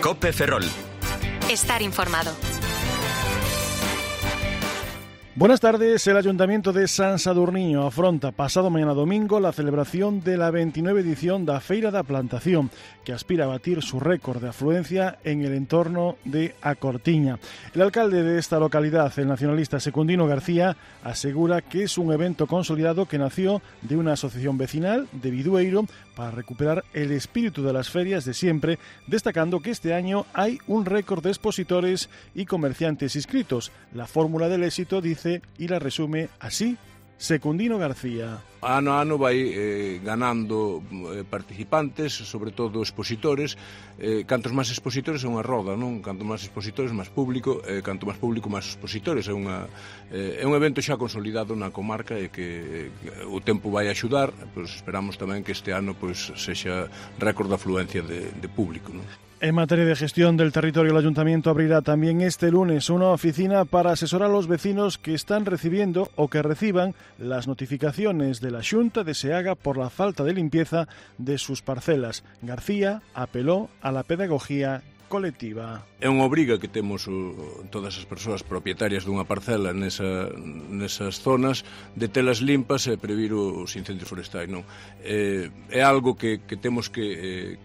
COPE Ferrol. Estar informado. Buenas tardes. El Ayuntamiento de San Sadurniño afronta pasado mañana domingo la celebración de la 29 edición da Feira da Plantación, que aspira a batir su récord de afluencia en el entorno de A Cortiña. El alcalde de esta localidad, el nacionalista Secundino García, asegura que es un evento consolidado que nació de una asociación vecinal de Bidueiro para recuperar el espíritu de las ferias de siempre, destacando que este año hay un récord de expositores y comerciantes inscritos. La fórmula del éxito, dice, y la resume así Secundino García. Ano a ano vai ganando participantes, sobre todo expositores. Cantos máis expositores é unha roda, non? Canto máis expositores, máis público, canto máis público, máis expositores. É un evento xa consolidado na comarca e que o tempo vai axudar, pois esperamos tamén que este ano pois sexa récord de afluencia de público, non? En materia de gestión del territorio, el Ayuntamiento abrirá también este lunes una oficina para asesorar a los vecinos que están recibiendo o que reciban las notificaciones de la Xunta de Seaga por la falta de limpieza de sus parcelas. García apeló a la pedagogía colectiva. É unha obriga que temos todas as persoas propietarias dunha parcela nesas zonas de telas limpas e previr os incendios forestais, non? É algo que temos que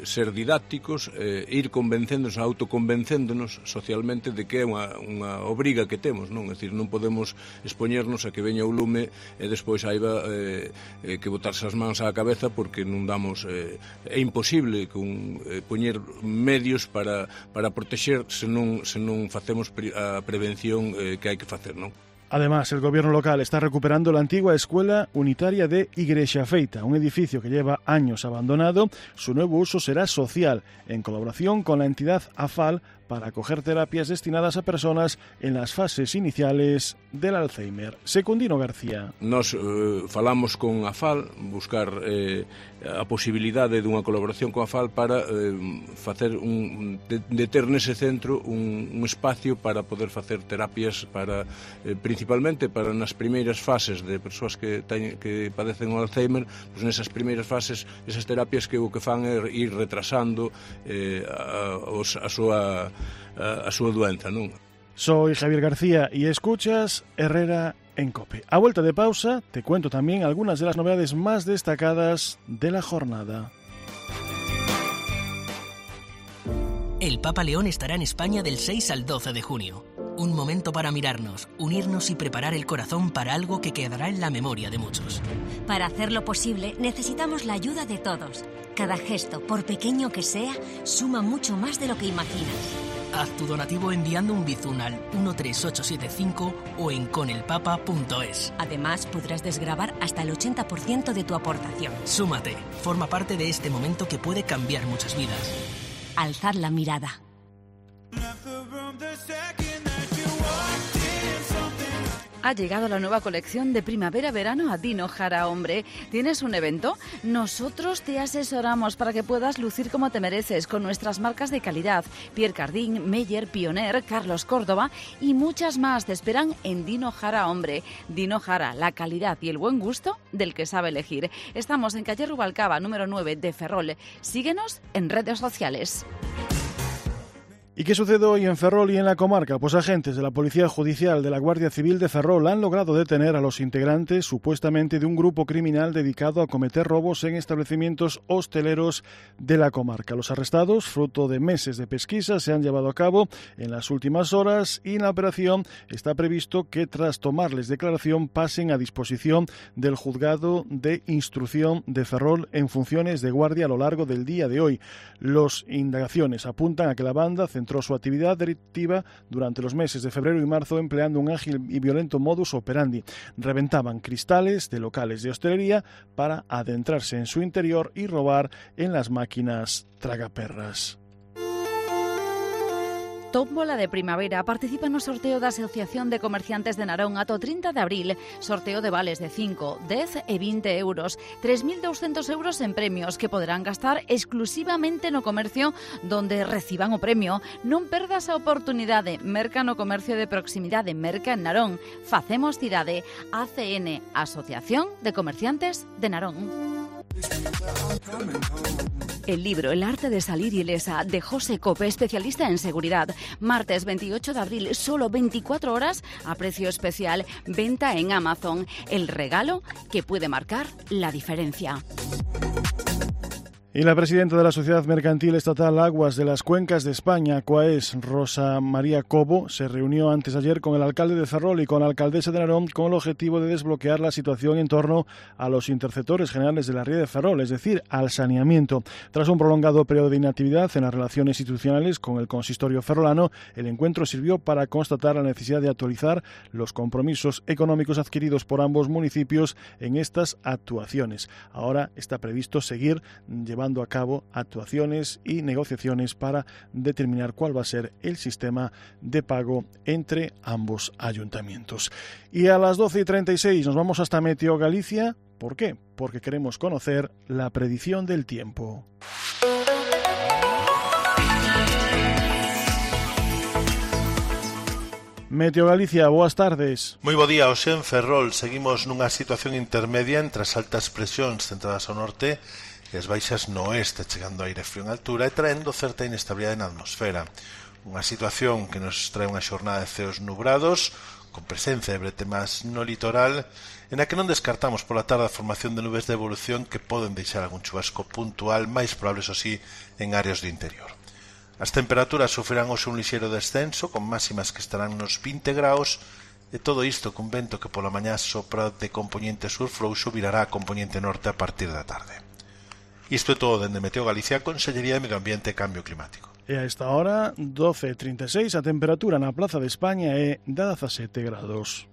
ser didácticos, ir convencéndonos, autoconvencéndonos socialmente de que é unha obriga que temos, non? É dicir, non podemos expoñernos a que veña o lume e despois haiba que botarse as mans á cabeza porque non damos... É imposible poñer medios para protexer se non facemos a prevención que hai que facer, non? Además, el gobierno local está recuperando la antigua escuela unitaria de Igrexa Feita, un edificio que lleva años abandonado. Su nuevo uso será social, en colaboración con la entidad AFAL, para acoger terapias destinadas a personas en las fases iniciales del Alzheimer. Secundino García. Nos falamos con AFAL, buscar a posibilidade dunha colaboración con AFAL para facer de ter nese centro un espacio para poder facer terapias para principalmente para nas primeiras fases de persoas que padecen o Alzheimer, pois nesas primeiras fases esas terapias que o que fan é ir retrasando a súa doenza, non? Soy Javier García y escuchas Herrera en COPE. A vuelta de pausa te cuento también algunas de las novedades más destacadas de la jornada. El Papa León estará en España del 6 al 12 de junio. Un momento para mirarnos, unirnos y preparar el corazón para algo que quedará en la memoria de muchos. Para hacerlo posible, necesitamos la ayuda de todos. Cada gesto, por pequeño que sea, suma mucho más de lo que imaginas. Haz tu donativo enviando un bizum al 13875 o en conelpapa.es. Además, podrás desgravar hasta el 80% de tu aportación. Súmate, forma parte de este momento que puede cambiar muchas vidas. Alzad la mirada. Ha llegado la nueva colección de primavera-verano a Dino Jara Hombre. ¿Tienes un evento? Nosotros te asesoramos para que puedas lucir como te mereces con nuestras marcas de calidad. Pierre Cardin, Meyer, Pioneer, Carlos Córdoba y muchas más te esperan en Dino Jara Hombre. Dino Jara, la calidad y el buen gusto del que sabe elegir. Estamos en calle Rubalcaba, número 9 de Ferrol. Síguenos en redes sociales. ¿Y qué sucede hoy en Ferrol y en la comarca? Pues agentes de la Policía Judicial de la Guardia Civil de Ferrol han logrado detener a los integrantes supuestamente de un grupo criminal dedicado a cometer robos en establecimientos hosteleros de la comarca. Los arrestados, fruto de meses de pesquisa, se han llevado a cabo en las últimas horas y en la operación está previsto que tras tomarles declaración pasen a disposición del Juzgado de Instrucción de Ferrol en funciones de guardia a lo largo del día de hoy. Las indagaciones apuntan a que la banda centró su actividad delictiva durante los meses de febrero y marzo empleando un ágil y violento modus operandi. Reventaban cristales de locales de hostelería para adentrarse en su interior y robar en las máquinas tragaperras. Tómbola de primavera participa no sorteo da Asociación de Comerciantes de Narón ata o 30 de abril. Sorteo de vales de 5, 10 e 20 euros. 3.200 euros en premios que poderán gastar exclusivamente no comercio donde reciban o premio. Non perdas a oportunidade. Merca no comercio de proximidade. Merca en Narón. Facemos cidade. ACN, Asociación de Comerciantes de Narón. El libro El arte de salir ilesa, de José Cope, especialista en seguridad. Martes 28 de abril, solo 24 horas a precio especial. Venta en Amazon. El regalo que puede marcar la diferencia. Y la presidenta de la Sociedad Mercantil Estatal Aguas de las Cuencas de España, COAES, Rosa María Cobo, se reunió antes de ayer con el alcalde de Ferrol y con la alcaldesa de Narón con el objetivo de desbloquear la situación en torno a los interceptores generales de la ría de Ferrol, es decir, al saneamiento. Tras un prolongado periodo de inactividad en las relaciones institucionales con el consistorio ferrolano, el encuentro sirvió para constatar la necesidad de actualizar los compromisos económicos adquiridos por ambos municipios en estas actuaciones. Ahora está previsto seguir llevando a cabo actuaciones y negociaciones para determinar cuál va a ser el sistema de pago entre ambos ayuntamientos. Y a las 12:36 nos vamos hasta Meteo Galicia. ¿Por qué? Porque queremos conocer la predicción del tiempo. Meteo Galicia, boas tardes. Moi bo día, hoxe en Ferrol seguimos nunha situación intermedia entre as altas presións centradas ao norte e as baixas no oeste, chegando aire frío en altura e traendo certa inestabilidade na atmosfera. Unha situación que nos trae unha xornada de ceos nubrados, con presencia de bretemas no litoral, en a que non descartamos pola tarde a formación de nubes de evolución que poden deixar algún chubasco puntual, máis probable, eso sí, en áreas do interior. As temperaturas sufrirán hoxe un lixeiro descenso, con máximas que estarán nos 20 graus, e todo isto cun vento que pola mañá sopra de componente sur frouxo virará a componente norte a partir da tarde. Isto é todo dende Meteo Galicia, Consellería de Medio Ambiente e Cambio Climático. E a esta hora, 12:36, a temperatura na Plaza de España é de 17 grados.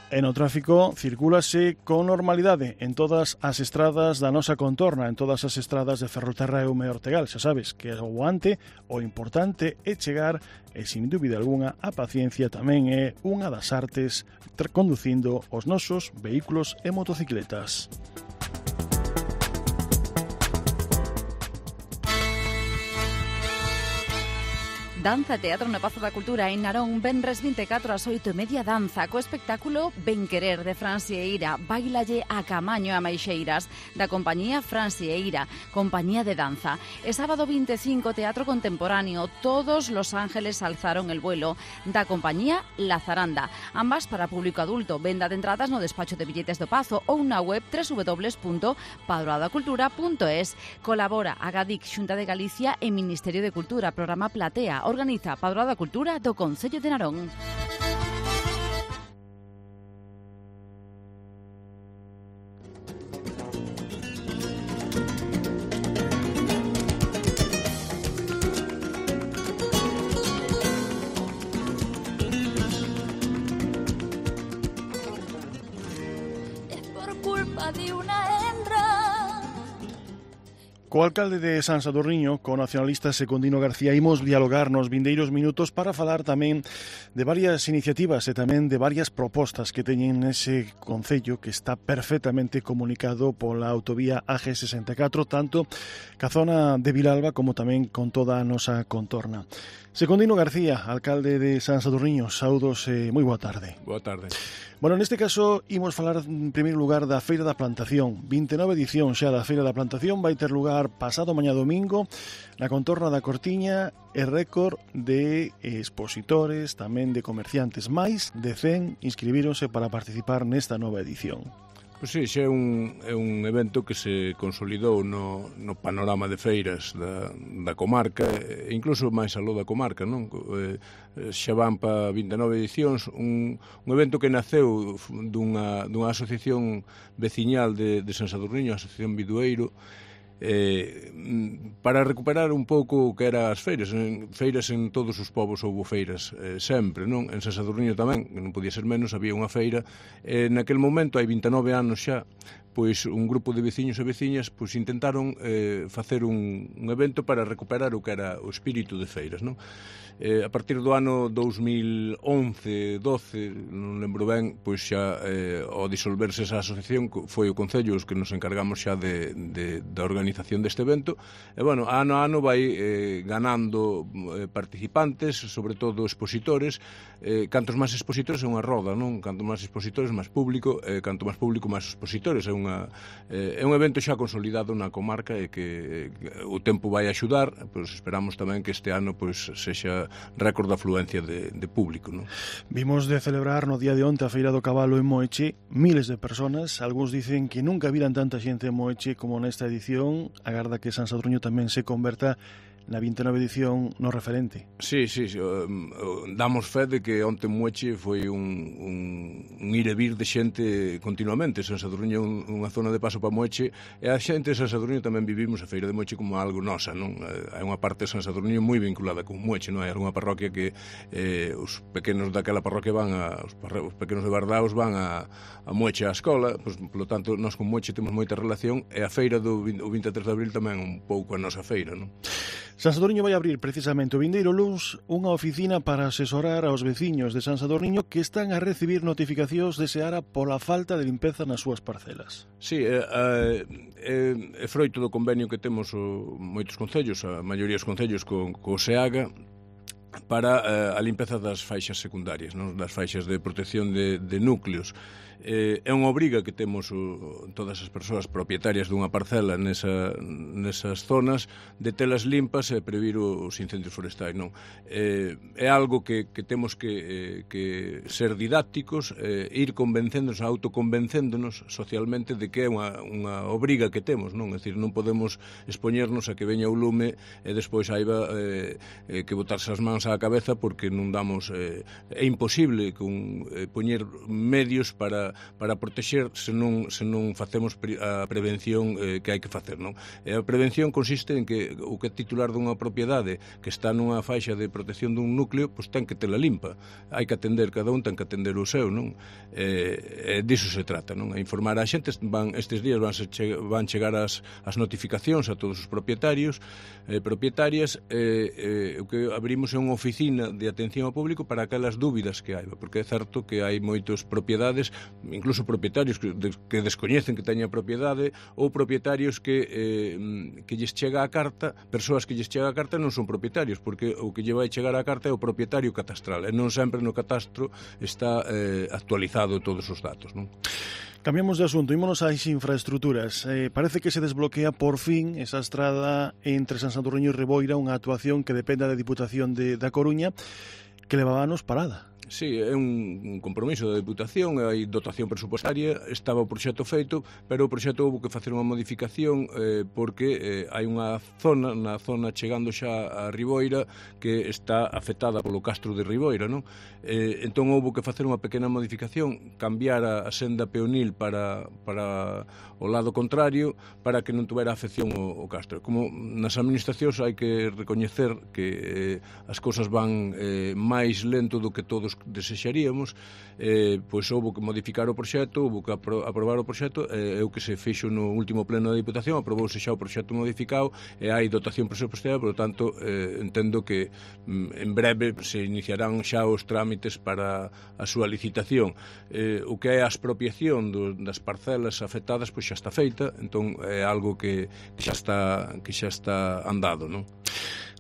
E no tráfico circúlase con normalidade en todas as estradas da nosa contorna, en todas as estradas de Ferrolterra e Ume Ortegal. Xa sabes que o guante, o importante é chegar, e sin dúbida algunha, a paciencia tamén é unha das artes conducindo os nosos vehículos e motocicletas. Danza e Teatro no Pazo da Cultura en Narón, venres 24 ás 8:30 danza, co espectáculo Ben Querer de Fran Sieira, Bailalle a Camaño e a Maixeiras, da compañía Fran Sieira, compañía de danza. E sábado 25, teatro contemporáneo, Todos los ángeles alzaron el vuelo, da compañía La Zaranda, ambas para público adulto. Venda de entradas no despacho de billetes do Pazo ou na web www.padroadacultura.es. Colabora a Gadic, Xunta de Galicia e Ministerio de Cultura, programa Platea. Organiza Padroada Cultura do Concello de Narón. Es por culpa de una hembra. Co alcalde de San Sadurniño, co nacionalista Secundino García, imos dialogar nos vindeiros minutos para falar tamén de varias iniciativas e tamén de varias propostas que teñen ese concello que está perfectamente comunicado pola autovía AG64, tanto ca zona de Vilalba como tamén con toda a nosa contorna. Secundino García, alcalde de San Sadurniño, saudos e moi boa tarde. Boa tarde. Bueno, neste caso, imos falar en primeiro lugar da Feira da Plantación. 29 edición xa da Feira da Plantación, vai ter lugar pasado mañá domingo na contorna da Cortiña e récord de expositores, tamén de comerciantes. Máis de 100 inscribíronse para participar nesta nova edición. Pois sí, xa é un evento que se consolidou no panorama de feiras da comarca, e incluso máis aló da comarca, non? Xa van para 29 edicións, un evento que naceu dunha asociación veciñal de San Sadurniño, a Asociación Bidueiro, para recuperar un pouco o que eran as feiras. Feiras en todos os povos houbo feiras sempre, non? En San Sadurniño tamén, que non podía ser menos, había unha feira. Naquel momento, hai 29 anos xa, pois un grupo de veciños e veciñas pois intentaron facer un evento para recuperar o que era o espírito de feiras, non? A partir do ano 2011-12, non lembro ben, pois xa ao disolverse esa asociación foi o Concello os que nos encargamos xa da organización deste evento, e bueno, ano a ano vai ganando participantes, sobre todo expositores. Cantos máis expositores é unha roda, non? Canto máis expositores, máis público, canto máis público, máis expositores. É un evento xa consolidado na comarca e que o tempo vai axudar, pois esperamos tamén que este ano pois sexa récord de afluencia de público, non? Vimos de celebrar no día de onte a Feira do Cabalo en Moeche, miles de personas. Algúns dicen que nunca viran tanta xente en Moeche como nesta edición. Agarda que San Sadurniño tamén se converta na 29 edición no referente. Sí, damos fe de que onte Moeche foi un ir e vir de xente continuamente. San Sadurniño é unha zona de paso para Moeche, e a xente de San Sadurniño tamén vivimos a Feira de Moeche como algo nosa, non? Hai unha parte de San Sadurniño moi vinculada con Moeche, non? Hai algunha parroquia que os pequenos daquela parroquia os pequenos de Bardaos van a Moeche á escola, pois, polo tanto, nós con Moeche temos moita relación, e a feira do 23 de abril tamén un pouco a nosa feira, non? San Sadurniño vai abrir precisamente o vindeiro luns unha oficina para asesorar aos veciños de San Sadurniño que están a recibir notificacións de Seara pola falta de limpeza nas súas parcelas. Sí, é froito do convenio que temos moitos concellos, a maioría dos concellos co SEAGA, para a limpeza das faixas secundarias, non? Das faixas de protección de núcleos. É unha obriga que temos todas as persoas propietarias dunha parcela nesas zonas de telas limpas e previr os incendios forestais, non? É algo que temos que ser didácticos, ir convencéndonos, autoconvencéndonos socialmente de que é unha obriga que temos, non? É dicir, non podemos expoñernos a que veña o lume e despois haiba que botarse as mans á cabeza porque non damos... É imposible poñer medios para protexer se non facemos a prevención que hai que facer, non? E a prevención consiste en que o que é titular dunha propiedade que está nunha faixa de protección dun núcleo, pois ten que tela limpa. Hai que atender, cada un ten que atender o seu, non? Diso se trata, non? A informar a xente, estes días van chegar as notificacións a todos os propietarios propietarias, o que abrimos é unha oficina de atención ao público para aquelas dúbidas que hai, porque é certo que hai moitos propiedades, incluso propietarios que descoñecen que teñen a propiedade, ou propietarios que lles chega a carta, persoas que lles chega a carta non son propietarios, porque o que lle vai chegar a carta é o propietario catastral, e non sempre no catastro está actualizado todos os datos, non? Cambiamos de asunto, ímonos ás infraestructuras. Parece que se desbloquea por fin esa estrada entre San Sadurniño e Riboira, unha actuación que depende da Diputación da Coruña, que levaba anos parada. Sí, é un compromiso da Diputación, hai dotación presupuestaria, estaba o proxecto feito, pero o proxecto houve que facer unha modificación porque hai unha zona, na zona chegando xa a Riboira, que está afectada polo castro de Riboira, non? Entón houve que facer unha pequena modificación, cambiar a senda peonil para o lado contrario, para que non tuvera afección o castro. Como nas administracións hai que recoñecer que as cousas van máis lento do que todos desexaríamos, pois houve que modificar o proxecto, houve que aprobar o proxecto, e o que se fixo no último pleno da Diputación, aprobouse xa o proxecto modificado e hai dotación presupuestaria, por lo tanto entendo que en breve se iniciarán xa os trámites para a súa licitación. O que é a expropiación das parcelas afectadas pois xa está feita, entón é algo que xa está andado, non?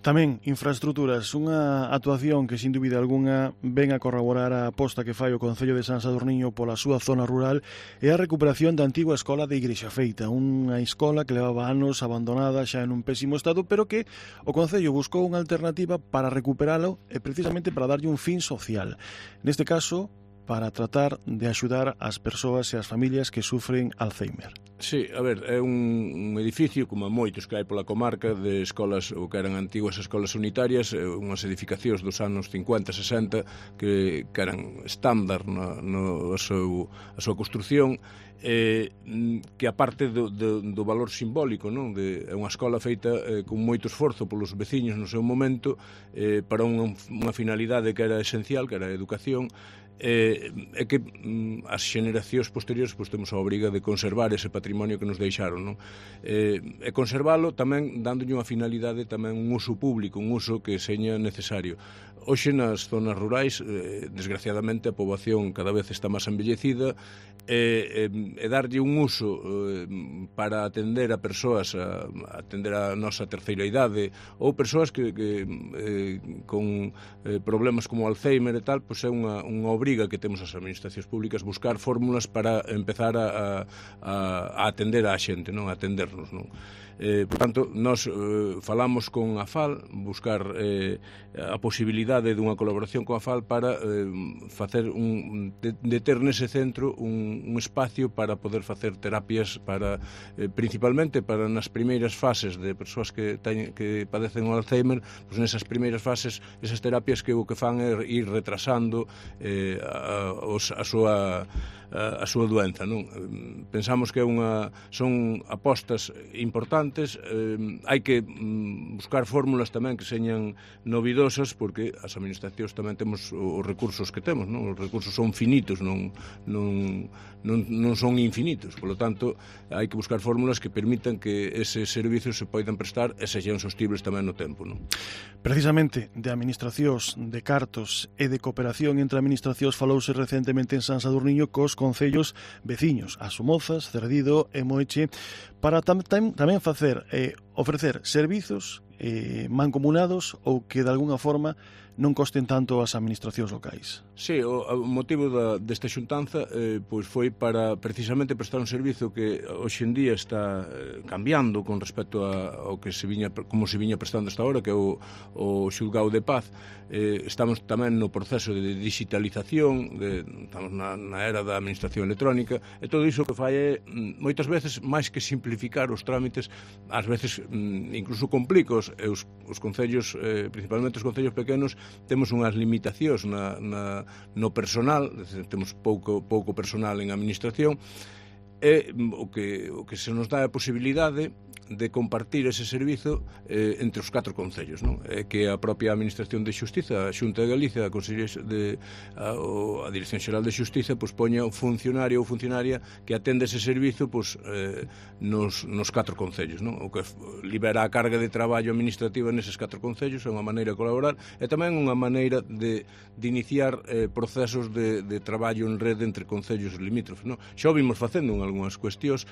Tamén, infraestructuras, unha actuación que, sin dúbida algunha, ven a corroborar a aposta que fai o Concello de San Sadurniño pola súa zona rural é a recuperación da antigua escola de Igrexa Feita, unha escola que levaba anos abandonada xa en un pésimo estado, pero que o Concello buscou unha alternativa para recuperalo e precisamente para darlle un fin social. Neste caso, para tratar de axudar as persoas e as familias que sufren Alzheimer. Sí, a ver, é un edificio, como moitos que hai pola comarca, de escolas, ou que eran antiguas escolas unitarias, unhas edificacións dos anos 50-60 que eran estándar a súa construción, que aparte do valor simbólico, non? É unha escola feita con moito esforzo polos veciños no seu momento, para unha finalidade que era esencial, que era a educación, é que as xeneracións posteriores pois temos a obriga de conservar ese patrimonio que nos deixaron, non? E conservalo tamén dándolle unha finalidade, tamén un uso público, un uso que seña necesario. Hoxe nas zonas rurais, desgraciadamente, a poboación cada vez está máis envellecida e darlle un uso para atender a persoas, atender a nosa terceira idade ou persoas que con problemas como Alzheimer e tal, pois é unha obriga que temos as administracións públicas buscar fórmulas para empezar a atender a xente, non? A atendernos, non? Por tanto, nós falamos con a FAL, buscar a posibilidade dunha colaboración con a FAL para facer de ter nese centro un espacio para poder facer terapias para principalmente para nas primeiras fases de persoas que padecen o Alzheimer, pois nesas primeiras fases esas terapias que o que fan é ir retrasando a súa doenza, non? Pensamos que son apostas importantes, hai que buscar fórmulas tamén que señan novidosas, porque as administracións tamén temos os recursos que temos, non? Os recursos son finitos, non son infinitos, polo tanto hai que buscar fórmulas que permitan que eses servicios se poidan prestar e sexan sostibles tamén no tempo, non? Precisamente de administracións, de cartos e de cooperación entre administracións falouse recentemente en San Sadurniño cos concellos veciños, as Somozas, Cerdido e Moeche, para tamén ofrecer servizos mancomunados ou que de alguna forma non costen tanto as administracións locais. Sí, o motivo desta xuntanza pois foi para precisamente prestar un servizo que hoxe en día está cambiando con respecto ao que como se viña prestando hasta ahora, que é o xulgado de paz. Estamos tamén no proceso de digitalización, estamos na era da administración electrónica, e todo iso que fai é moitas veces máis que simplificar os trámites, ás veces incluso complica os concellos, principalmente os concellos pequenos, temos unhas limitacións no personal, temos pouco personal en administración, e o que se nos dá a posibilidade de compartir ese servizo entre os 4 concellos, non? Que a propia Administración de Xustiza, a Xunta de Galicia, a Dirección Xeral de Xustiza, pois poña un funcionario ou funcionaria que atende ese servizo pois nos 4 concellos, non? O que libera a carga de traballo administrativa neses 4 concellos, é unha maneira de colaborar e tamén unha maneira de iniciar procesos de traballo en rede entre concellos limítrofes, non? Xa o vimos facendo en algunhas cuestións,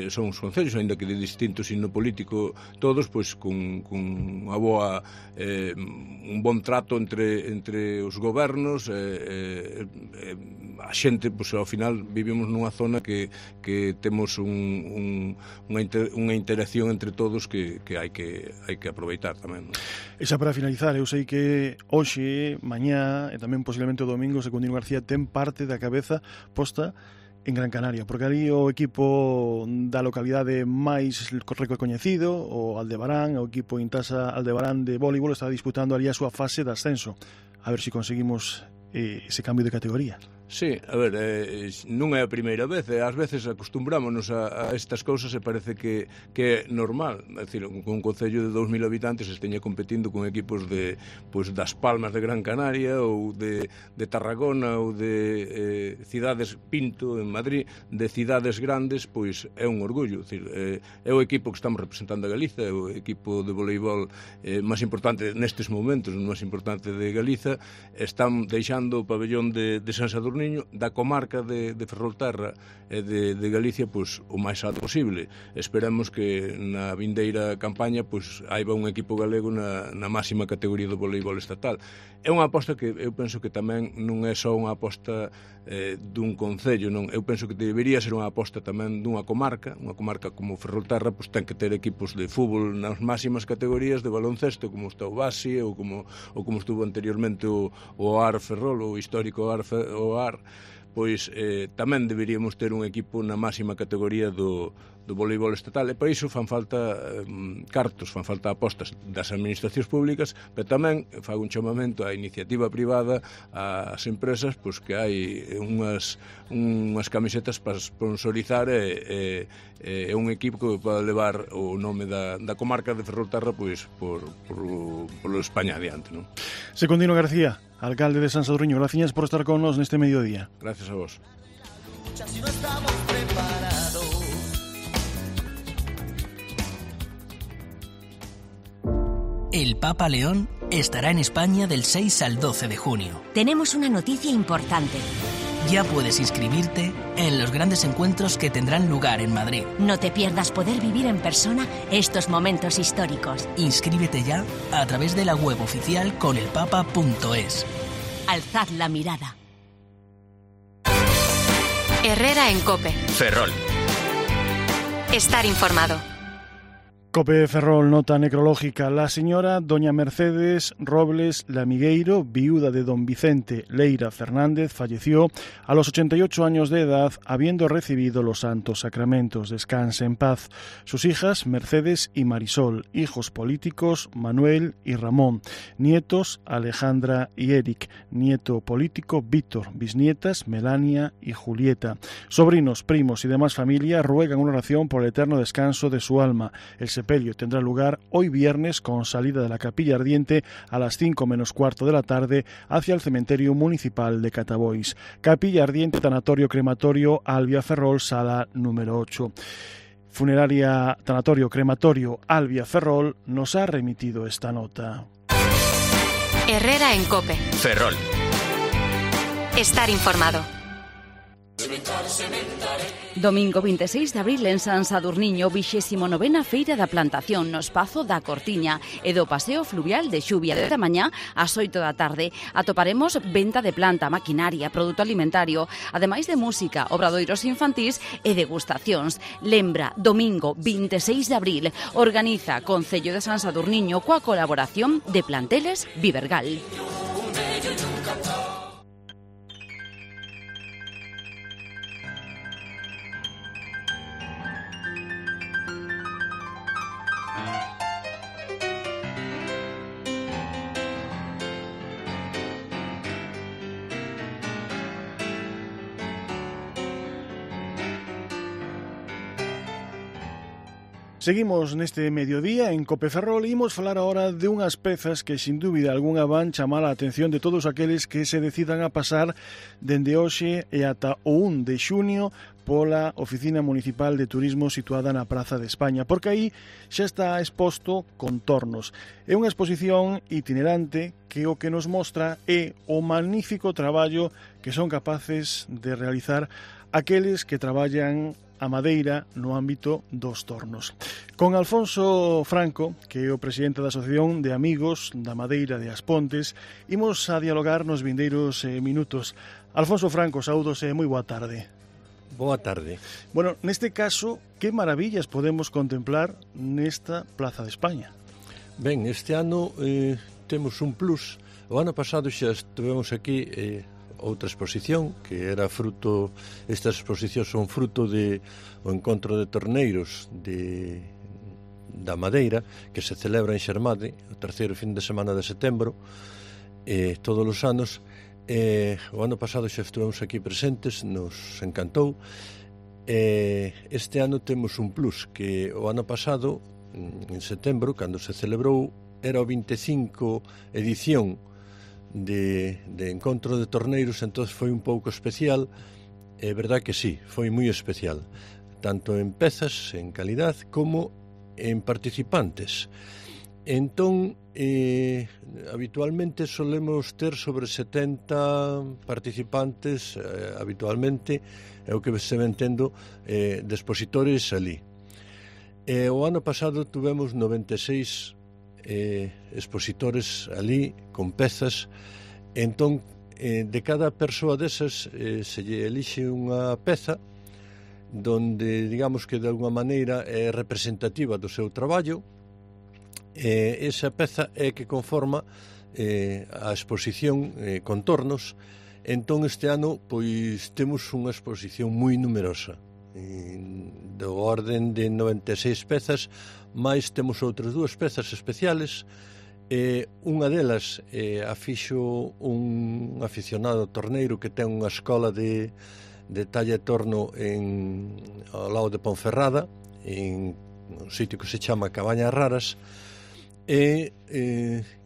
son os concellos, aínda que de distintos signo político todos, pois con unha boa un bon trato entre os gobernos, a xente, pois ao final vivimos nunha zona que temos unha interacción entre todos que hai que aproveitar tamén, non? E xa para finalizar, eu sei que hoxe, mañá e tamén posiblemente o domingo Secundino García ten parte da cabeza posta en Gran Canaria, porque ali o equipo da localidade máis recoñecido, o Aldebarán, o equipo Intasa Aldebarán de voleibol, está disputando ali a súa fase de ascenso. A ver se conseguimos ese cambio de categoría. Sí, a ver, non é a primeira vez, ás veces acostumbrámonos a estas cousas e parece que é normal, é dicir, un concello de 2.000 habitantes esteña competindo con equipos das Palmas de Gran Canaria ou de Tarragona ou de cidades Pinto en Madrid, de cidades grandes, pois é un orgullo, é dicir, é o equipo que estamos representando a Galiza, é o equipo de voleibol máis importante nestes momentos, o máis importante de Galiza, están deixando o pabellón de San Sadurniño, da comarca de Ferrolterra e de Galicia, pois o máis alto posible. Esperamos que na vindeira campaña pois haiba un equipo galego na máxima categoría do voleibol estatal. É unha aposta que eu penso que tamén non é só unha aposta dun concello, non. Eu penso que debería ser unha aposta tamén dunha comarca como Ferrolterra, pois ten que ter equipos de fútbol nas máximas categorías, de baloncesto como está o Basi ou como estuvo anteriormente o AR Ferrol, o histórico AR, pois tamén deberíamos ter un equipo na máxima categoría do voleibol estatal, e para iso fan falta cartos, fan falta apostas das administracións públicas, pero tamén fago un chamamento á iniciativa privada, ás empresas, pois que hai unhas camisetas para sponsorizar e un equipo que pode levar o nome da comarca de Ferrolterra pois por España adiante, non? Secundino García, alcalde de San Sadurniño, gracias por estar con nos neste mediodía. Gracias a vos. El Papa León estará en España del 6 al 12 de junio. Tenemos una noticia importante. Ya puedes inscribirte en los grandes encuentros que tendrán lugar en Madrid. No te pierdas poder vivir en persona estos momentos históricos. Inscríbete ya a través de la web oficial conelpapa.es. Alzad la mirada. Herrera en COPE. Ferrol. Estar informado. COPE Ferrol, nota necrológica. La señora doña Mercedes Robles Lamigueiro, viuda de don Vicente Leira Fernández, falleció a los 88 años de edad, habiendo recibido los santos sacramentos. Descanse en paz. Sus hijas, Mercedes y Marisol. Hijos políticos, Manuel y Ramón. Nietos, Alejandra y Eric. Nieto político, Víctor. Bisnietas, Melania y Julieta. Sobrinos, primos y demás familia ruegan una oración por el eterno descanso de su alma. El sepelio tendrá lugar hoy viernes con salida de la Capilla Ardiente a las 5 menos cuarto de la tarde hacia el cementerio municipal de Catabois. Capilla Ardiente, tanatorio crematorio Albia Ferrol, sala número 8. Funeraria Tanatorio Crematorio Albia Ferrol nos ha remitido esta nota. Herrera en COPE. Ferrol. Estar informado. Domingo 26 de abril en San Sadurniño, 29ª Feira da Plantación no Espazo da Cortiña e do Paseo Fluvial de Xuvia da mañá ás 8 da tarde. Atoparemos venta de planta, maquinaria, produto alimentario, ademais de música, obradoiros infantís e degustacións. Lembra, domingo 26 de abril, organiza Concello de San Sadurniño coa colaboración de Planteles Vivergal. Seguimos neste mediodía en COPE Ferrol e imos falar agora de unhas pezas que sin dúbida algunha van chamar a atención de todos aqueles que se decidan a pasar dende hoxe e ata o 1 de xunio pola Oficina Municipal de Turismo situada na Praza de España, porque aí xa está exposto Contornos. É unha exposición itinerante que o que nos mostra é o magnífico traballo que son capaces de realizar aqueles que traballan a madeira no ámbito dos tornos. Con Alfonso Franco, que é o presidente da Asociación de Amigos da Madeira de As Pontes, imos a dialogar nos vindeiros minutos. Alfonso Franco, saúdos e moi boa tarde. Boa tarde. Bueno, neste caso, que maravillas podemos contemplar nesta Plaza de España? Ben, este ano temos un plus. O ano pasado xa estivemos aquí outra exposición que era fruto, estas exposicións son fruto de o encontro de torneiros da Madeira que se celebra en Xermade o terceiro fin de semana de setembro todos os anos. O ano pasado xa estivemos aquí presentes, nos encantou. Este ano temos un plus, que o ano pasado en setembro, cando se celebrou, era o 25 edición de encontro de torneiros, entón foi un pouco especial. É verdad que sí, foi moi especial, tanto en pezas, en calidad, como en participantes. Entón, habitualmente solemos ter sobre 70 participantes, habitualmente, é o que se ven tendo de expositores ali. O ano pasado tuvemos 96 expositores ali con pezas. Entón, de cada persoa desas se lle elixe unha peza donde, digamos que de alguma maneira é representativa do seu traballo. Esa peza é que conforma a exposición Contornos. Entón este ano pois temos unha exposición moi numerosa, do orden de 96 pezas, máis temos outras dúas pezas especiales. Unha delas a fixo un aficionado torneiro que ten unha escola de talla e torno ao lado de Ponferrada, en un sitio que se chama Cabañas Raras, e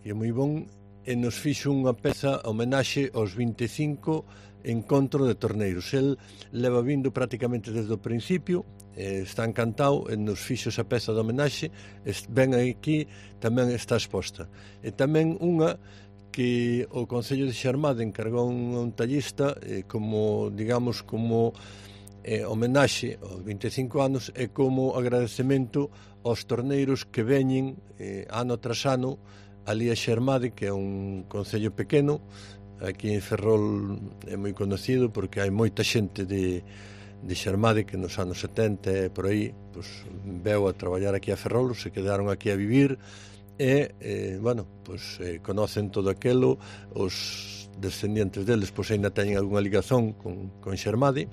é moi bon e nos fixo unha peza homenaxe aos 25 encontro de torneiros. El leva vindo prácticamente desde o principio, está encantado e nos fixo esa peza de homenaxe, ven aquí, tamén está exposta. E tamén unha que o Concello de Xermade encargou a un tallista como, digamos, como homenaxe aos 25 anos e como agradecemento aos torneiros que veñen ano tras ano ali a Xermade, que é un concello pequeno. Aquí en Ferrol é moi conocido porque hai moita xente de Xermade que nos anos 70 e por aí pues, veu a traballar aquí a Ferrol, se quedaron aquí a vivir e, bueno, pues, conocen todo aquelo, os descendientes deles pois ainda teñen algunha ligazón con Xermade.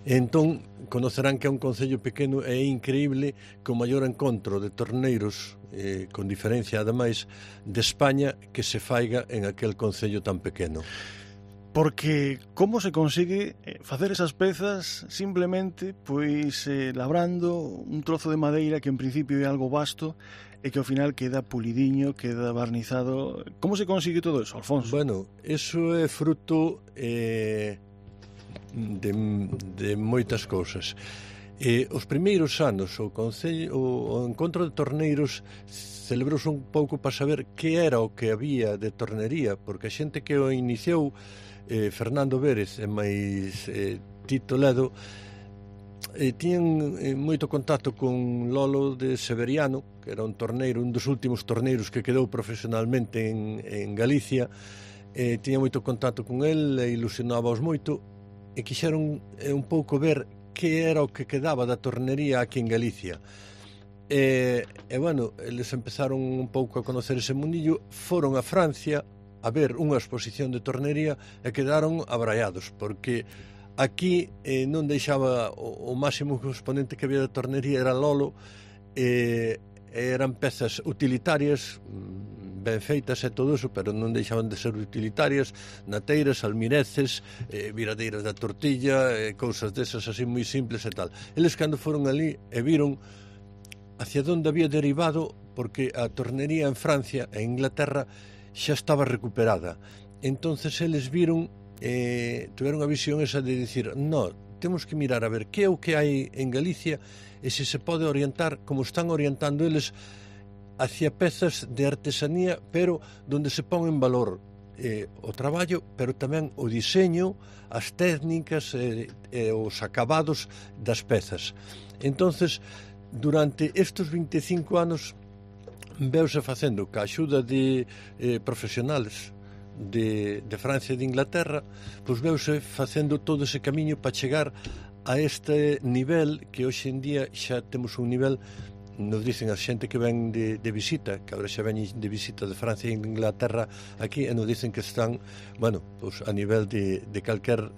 Entón, conocerán que é un concello pequeno e é increíble que o maior encontro de torneiros, con diferencia ademais de España, que se faiga en aquel concello tan pequeno. Porque como se consigue facer esas pezas simplemente pois labrando un trozo de madeira que en principio é algo vasto e que ao final queda pulidiño, queda barnizado. Como se consigue todo eso, Alfonso? Bueno, eso é fruto de moitas cousas. Os primeiros anos o encontro de torneiros celebrouse un pouco para saber que era o que había de tornería, porque a xente que o iniciou, Fernando Vérez e máis Tito Ledo, tiñan moito contacto con Lolo de Severiano, que era un torneiro, un dos últimos torneiros que quedou profesionalmente en Galicia. Tiña moito contacto con el e ilusionábaos moito e quixeron un pouco ver que era o que quedaba da tornería aquí en Galicia. E bueno, eles empezaron un pouco a conocer ese mundillo, foron a Francia a ver unha exposición de tornería e quedaron abraiados, porque aquí non deixaba o máximo exponente que había de tornería era Lolo, eran pezas utilitarias, ben feitas e todo eso, pero non deixaban de ser utilitarias, nateiras, almireces, viradeiras da tortilla, cousas desas así moi simples e tal. Eles cando foron ali e viron hacia onde había derivado, porque a tornería en Francia e Inglaterra xa estaba recuperada. Entonces eles viron, tiveron a visión esa de dicir, no, temos que mirar a ver que é o que hai en Galicia e se se pode orientar, como están orientando eles, hacia pezas de artesanía, pero donde se pon en valor o traballo, pero tamén o diseño, as técnicas e os acabados das pezas. Entonces, durante estes 25 anos veuse facendo ca axuda de profesionales de Francia e de Inglaterra, pois veuse facendo todo ese camiño para chegar a este nivel que hoxe en día xa temos un nivel, nos dicen a xente que ven de visita, que agora xa ven de visita de Francia e Inglaterra aquí, e nos dicen que están, bueno, pois a nivel de calquer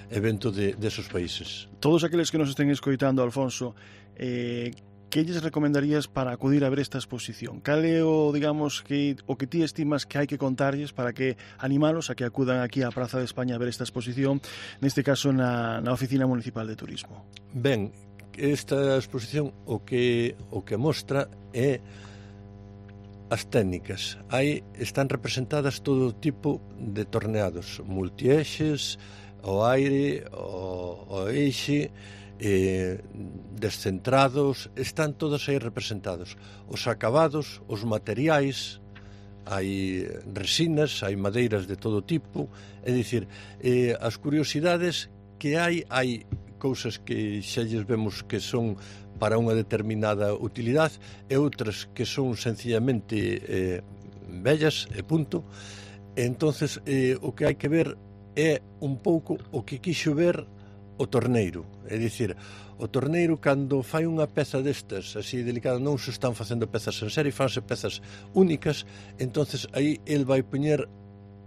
evento de esos países. Todos aqueles que nos estén escoitando, Alfonso, que lles recomendarías para acudir a ver esta exposición? Cal é o, digamos, o que ti estimas que hai que contarlles para que animalos a que acudan aquí á Praza de España a ver esta exposición, neste caso na Oficina Municipal de Turismo? Ben, esta exposición o que mostra é as técnicas. Aí están representadas todo tipo de torneados, multieixes, o aire, o eixe, descentrados, están todos aí representados. Os acabados, os materiais, hai resinas, hai madeiras de todo tipo, é dicir, as curiosidades que hai cousas que xa lles vemos que son para unha determinada utilidade e outras que son sencillamente bellas e punto. Entonces, o que hai que ver é un pouco o que quixo ver o torneiro, é dicir, o torneiro cando fai unha peza destas así delicada, non se están facendo pezas en serie, fanse pezas únicas, entonces aí el vai poñer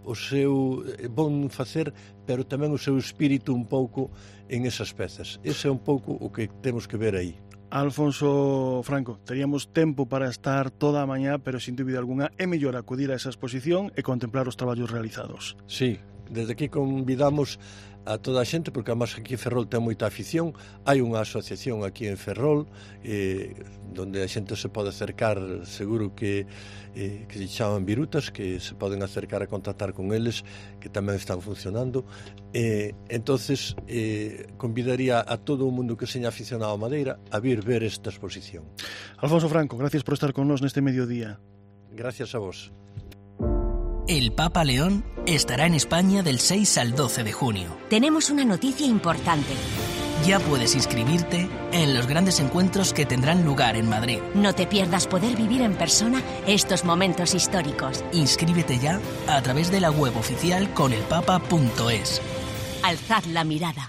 o seu bon facer, pero tamén o seu espírito un pouco en esas pezas. Ese é un pouco o que temos que ver aí. Alfonso Franco, teríamos tempo para estar toda a mañá, pero sin dúbida alguna é mellor acudir a esa exposición e contemplar os traballos realizados. Sí, desde aquí convidamos a toda a xente, porque además aquí en Ferrol ten moita afición. Hai unha asociación aquí en Ferrol donde a xente se pode acercar, seguro que se chaman Virutas, que se poden acercar a contactar con eles, que tamén están funcionando. Entonces convidaría a todo o mundo que seña aficionado a madeira a vir ver esta exposición. Alfonso Franco, gracias por estar con nos neste mediodía. Gracias a vos. El Papa León estará en España del 6 al 12 de junio. Tenemos una noticia importante. Ya puedes inscribirte en los grandes encuentros que tendrán lugar en Madrid. No te pierdas poder vivir en persona estos momentos históricos. Inscríbete ya a través de la web oficial conelpapa.es. Alzad la mirada.